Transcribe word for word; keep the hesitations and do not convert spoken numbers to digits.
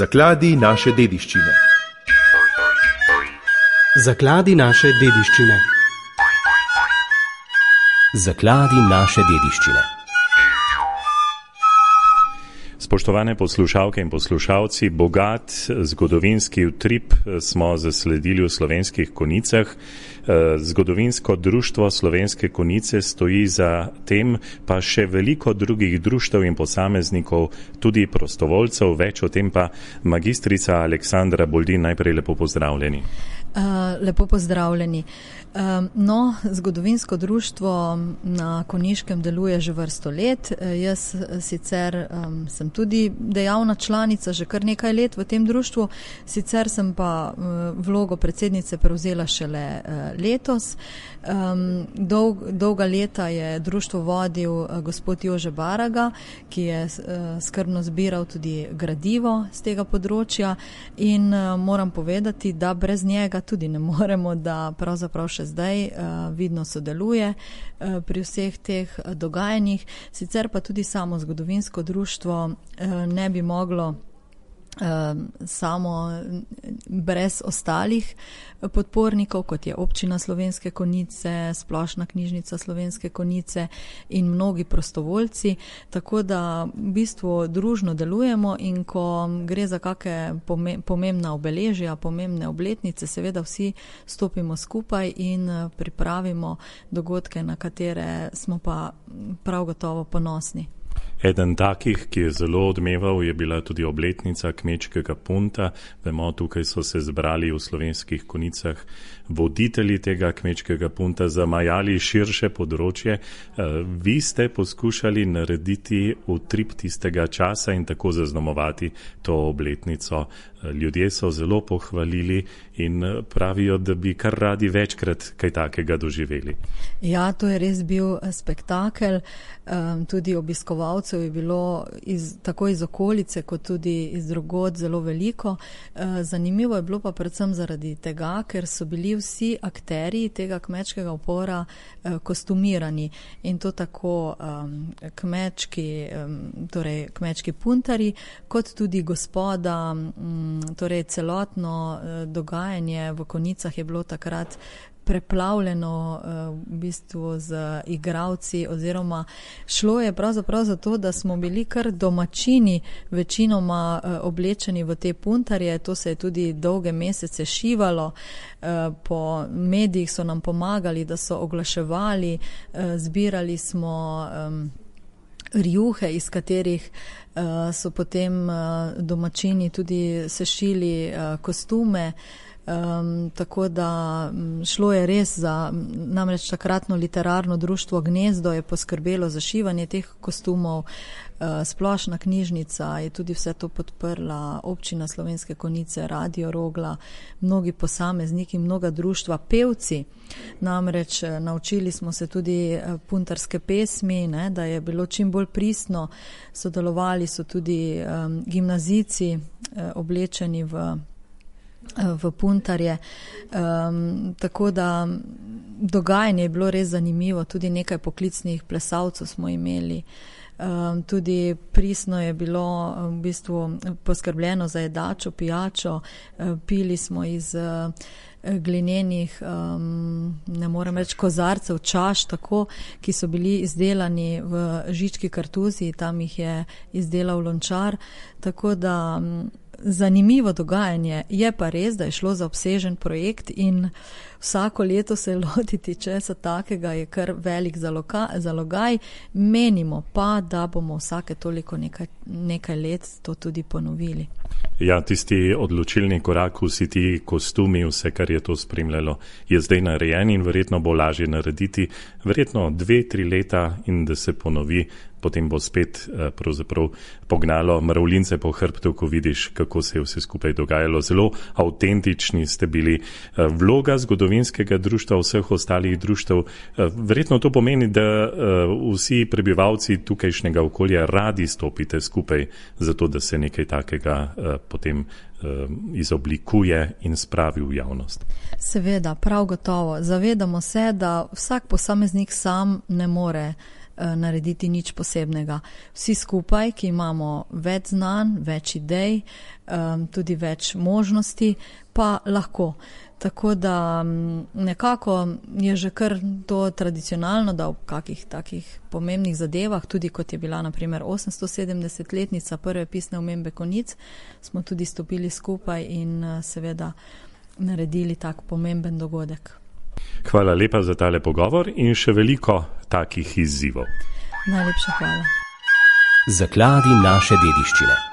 Zakladi naše dediščine. Zakladi naše dediščine. Zakladi naše dediščine. Spoštovane poslušalke in poslušalci, bogat zgodovinski utrip smo zasledili v Slovenskih Konjicah. Zgodovinsko društvo Slovenske Konjice stoji za tem, pa še veliko drugih društev in posameznikov, tudi prostovoljcev, več o tem pa magistrica Aleksandra Boldin. Najprej lepo pozdravljeni. Uh, lepo pozdravljeni. Um, no, zgodovinsko društvo na Konjiškem deluje že vrsto let. Uh, jaz sicer um, sem tudi dejavna članica že kar nekaj let v tem društvu, sicer sem pa uh, vlogo predsednice prevzela šele uh, letos. Um, dolg, dolga leta je društvo vodil uh, gospod Jože Baraga, ki je uh, skrbno zbiral tudi gradivo z tega področja in uh, moram povedati, da brez njega tudi ne moremo, da pravzaprav še zdaj uh, vidno sodeluje uh, pri vseh teh uh, dogajanjih. Sicer pa tudi samo zgodovinsko društvo uh, ne bi moglo samo brez ostalih podpornikov, kot je Občina Slovenske Konjice, Splošna knjižnica Slovenske Konjice in mnogi prostovoljci, tako da v bistvu družno delujemo in ko gre za kakšne pomembna obeležja, pomembne obletnice, seveda vsi stopimo skupaj in pripravimo dogodke, na katere smo pa prav gotovo ponosni. Eden takih, ki je zelo odmeval, je bila tudi obletnica Kmečkega punta. Vemo, tukaj so se zbrali v Slovenskih Konjicah voditelji tega Kmečkega punta, zamajali širše področje. Vi ste poskušali narediti utrip tistega časa in tako zaznamovati to obletnico. Ljudje so zelo pohvalili in pravijo, da bi kar radi večkrat kaj takega doživeli. Ja, to je res bil spektakel. Tudi obiskovalcev je bilo iz, tako iz okolice, kot tudi iz drugod zelo veliko. Zanimivo je bilo pa predvsem zaradi tega, ker so bili vsi akterji tega kmečkega upora kostumirani in to tako kmečki, torej kmečki puntari, kot tudi gospoda. Torej celotno dogajanje v Konjicah je bilo takrat preplavljeno v bistvu z igralci oziroma šlo je pravzaprav za to, da smo bili kar domačini večinoma oblečeni v te puntarje. To se je tudi dolge mesece šivalo. Po medijih so nam pomagali, da so oglaševali, zbirali smo rjuhe, iz katerih uh, so potem uh, domačini tudi sešili uh, kostume. Um, tako da šlo je res za, namreč takratno literarno društvo Gnezdo je poskrbelo za šivanje teh kostumov, uh, Splošna knjižnica je tudi vse to podprla, Občina Slovenske Konjice, Radio Rogla, mnogi posamezniki, mnoga društva, pevci. Namreč naučili smo se tudi puntarske pesmi, ne, da je bilo čim bolj pristno, sodelovali so tudi um, gimnazijci uh, oblečeni v v puntarje. Um, tako da dogajanje je bilo res zanimivo, tudi nekaj poklicnih plesalcev smo imeli. Um, tudi pristno je bilo v bistvu poskrbljeno za jedačo, pijačo, uh, pili smo iz uh, glinenih, um, ne morem reči kozarcev, čaš, tako, ki so bili izdelani v Žički kartuziji, tam jih je izdelal lončar, tako da um, zanimivo dogajanje. Je pa res, da je šlo za obsežen projekt in vsako leto se lotiti česa takega je kar velik zalogaj. Menimo pa, da bomo vsake toliko nekaj, nekaj let to tudi ponovili. Ja, tisti odločilni korak, vsi ti kostumi, vse, kar je to spremljalo, je zdaj narejen in verjetno bo lažje narediti. Verjetno dve, tri leta in da se ponovi, potem bo spet pravzaprav pognalo mravljince po hrbtu, ko vidiš, kako se je vse skupaj dogajalo. Zelo avtentični ste bili. Vloga zgodovinskega društva, vseh ostalih društev, verjetno to pomeni, da vsi prebivalci tukajšnjega okolja radi stopite skupaj, zato da se nekaj takega potem izoblikuje in spravi v javnost. Seveda, prav gotovo. Zavedamo se, da vsak posameznik sam ne more narediti nič posebnega. Vsi skupaj, ki imamo več znanj, več idej, tudi več možnosti, pa lahko. Tako da nekako je že kar to tradicionalno, da v kakih takih pomembnih zadevah, tudi kot je bila na primer osemstosedemdesetletnica prve pisne omembe konic, smo tudi stopili skupaj in seveda naredili tak pomemben dogodek. Hvala lepa za tale pogovor in še veliko takih izzivov. Najlepša hvala. Zakladi naše dediščine.